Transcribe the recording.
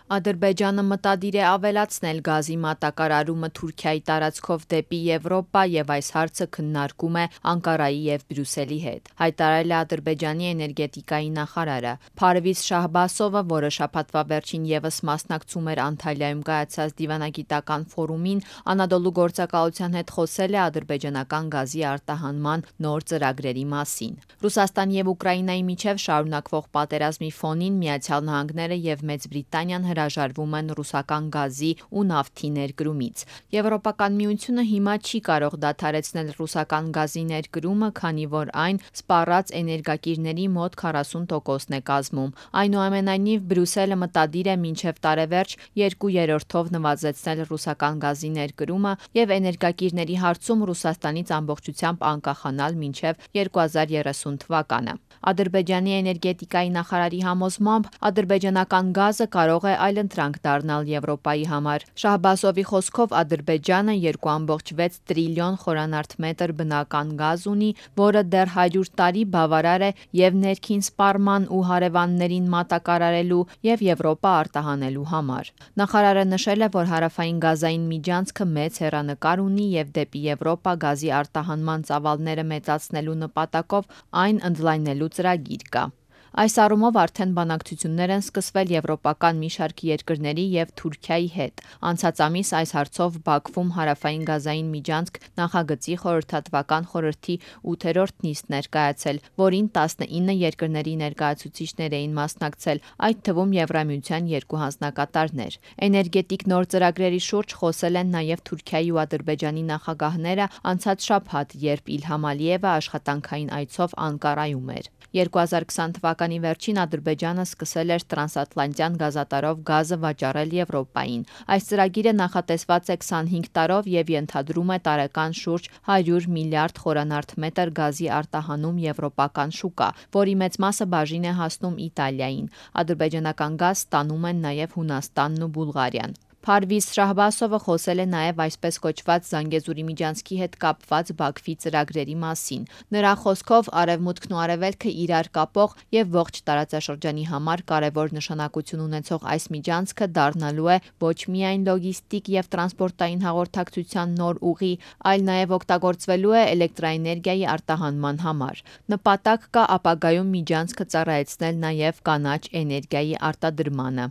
Ադրբեջանը մտադիր է ավելացնել գազի մատակարարումը Թուրքիայի տարածքով դեպի Եվրոպա և այս հարցը քննարկում է Անկարայի և Բրյուսելի հետ, հայտարարել է Ադրբեջանի էներգետիկայի նախարարը։ Փարվիզ Շահբասովը, որը շաբաթվա վերջին ևս մասնակցում էր Անտալիայում կայացած դիվանագիտական ֆորումին, Անադոլու գործակալության հետ խոսել է ադրբեջանական գազի արտահանման նոր ծրագրերի մասին։ Ռուսաստանի և Ուկրաինայի միջև շարունակվող պատերազմի ֆոնին Միացյալ Նահանգները և Մեծ Բրիտանիան հրաժարվում են ռուսական գազի ու նավթի ներկրումից։ Եվրոպական միությունը հիմա չի կարող դադարեցնել ռուսական գազի ներկրումը, քանի որ այն սպառած էներգակիրների մոտ 40%-ն է կազմում։ Այնուամենայնիվ, Բրյուսելը մտադիր է մինչև տարեվերջ 2/3-ով նվազեցնել ռուսական գազի ներկրումը և էներգակիրների հարցում Ռուսաստանից ամբողջությամբ անկախանալ մինչև 2030 թվականը։ Ադրբեջանի էներգետիկայի նախարարի համոզմամբ, ադրբեջանական գազը կարող է այլընտրանք դառնալ Եվրոպայի համար։ Շահբասովի խոսքով, Ադրբեջանը 2.6 տրիլիոն խորանարդ մետր բնական գազ ունի, որը դեռ 100 տարի բավարար է և ներքին սպառման ու հարևաններին մատակարարելու և Եվրոպա արտահանելու համար։ Նախարարը նշել է, որ հարավային գազային միջանցքը մեծ հեռանկար ունի և դեպի Եվրոպա գազի արտահանման ծավալները մեծացնելու նպատակով այն ընդլայնելու ծրագիր կա։ Այս առումով արդեն բանակցություններ են սկսվել եվրոպական մի շարք երկրների և Թուրքիայի հետ։ Անցած ամիս այս հարցով Բաքվում հարավային գազային միջանցք նախագծի խորհրդատվական խորհրդի 8-րդ նիստն էր կայացել, որին 19 երկրների ներկայացուցիչներ էին մասնակցել, այդ թվում Եվրամիության 2 հանձնակատարներ։ Էներգետիկ նոր ծրագրերի շուրջ խոսել են նաև Թուրքիայի ու Ադրբեջանի նախագահները անցած շաբաթ, երբ Իլհամ Ալիևը աշխատանքային այցով Անկարայում էր։ 2020 թվականի վերջին Ադրբեջանը սկսել էր տրանսատլանտյան գազատարով գազը վաճառել Եվրոպային։ Այս ծրագիրը նախատեսված է 25 տարով և ենթադրում է տարեկան շուրջ 100 միլիարդ խորանարդ մետր գազի արտահանում եվրոպական շուկա, որի մեծ մասը բաժին է հասնում Իտալիային։ Ադրբեջանական գազ ստանում են նաև Հունաստանն ու Բուլղարիան։ Փարվիզ Շահբասովը խոսել է նաև այսպես կոչված Զանգեզուրի միջանցքի հետ կապված Բաքվի ծրագրերի մասին։ Նրա խոսքով, Արևմուտքն ու Արևելքը իրար կապող և ողջ տարածաշրջանի համար կարևոր նշանակություն ունեցող այս միջանցքը դառնալու է ոչ միայն լոգիստիկ և տրանսպորտային հաղորդակցության նոր ուղի, այլ նաև օգտագործվելու է էլեկտրաէներգիայի արտահանման համար։ Նպատակ կա ապագայում միջանցքը ծառայեցնել նաև կանաչ էներգիայի արտադրմանը։